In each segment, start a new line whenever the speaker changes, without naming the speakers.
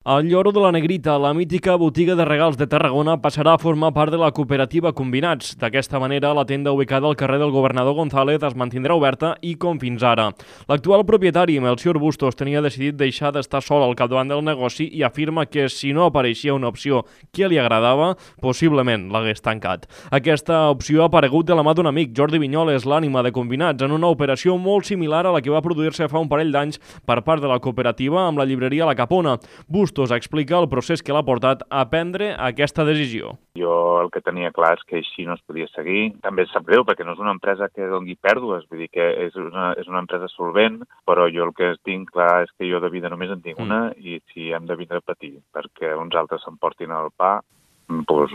El Lloro de la Negrita, la mítica botiga de regals de Tarragona, passarà a formar part de la cooperativa Combinats. D'aquesta manera, la tenda ubicada al carrer del Governador González es mantindrà oberta i com fins ara. L'actual propietari, Melcior Bustos, tenia decidit deixar d'estar sol al capdavant del negoci i afirma que si no apareixia una opció que li agradava, possiblement l'hagués tancat. Aquesta opció ha aparegut de la mà d'un amic, Jordi Vinyoles, l'ànima de Combinats, en una operació molt similar a la que va produir-se fa un parell d'anys per part de la cooperativa amb la llibreria La Capona. Bustos explica el procés que l'ha portat a prendre aquesta decisió.
Jo el que tenia clar és que així no es podia seguir. També sap greu perquè no és una empresa que doni pèrdues, vull dir que és una empresa solvent, però jo el que tinc clar és que jo de vida només en tinc una i si hem de vindre a patir perquè uns altres s'emportin el pa, doncs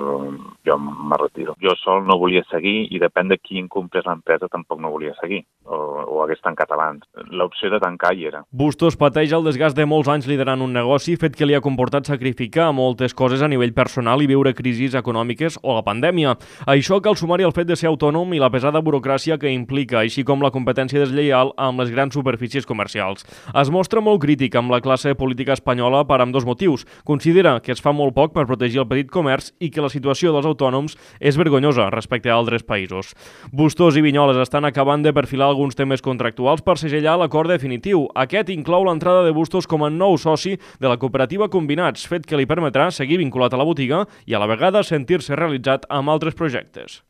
jo me retiro. Jo sol no volia seguir i depèn de qui comprés l'empresa tampoc no volia seguir o hagués tancat abans. L'opció de tancar hi era.
Bustos pateix el desgast de molts anys liderant un negoci, fet que li ha comportat sacrificar moltes coses a nivell personal i viure crisis econòmiques o la pandèmia. Això cal sumar-hi el fet de ser autònom i la pesada burocràcia que implica, així com la competència deslleial amb les grans superfícies comercials. Es mostra molt crític amb la classe política espanyola per ambdós motius. Considera que es fa molt poc per protegir el petit comerç i que la situació dels autònoms és vergonyosa respecte a altres països. Bustos i Vinyoles estan acabant de perfilar alguns temes contractuals per segellar l'acord definitiu. Aquest inclou l'entrada de Bustos com a nou soci de la cooperativa Combinats, fet que li permetrà seguir vinculat a la botiga i a la vegada sentir-se realitzat amb altres projectes.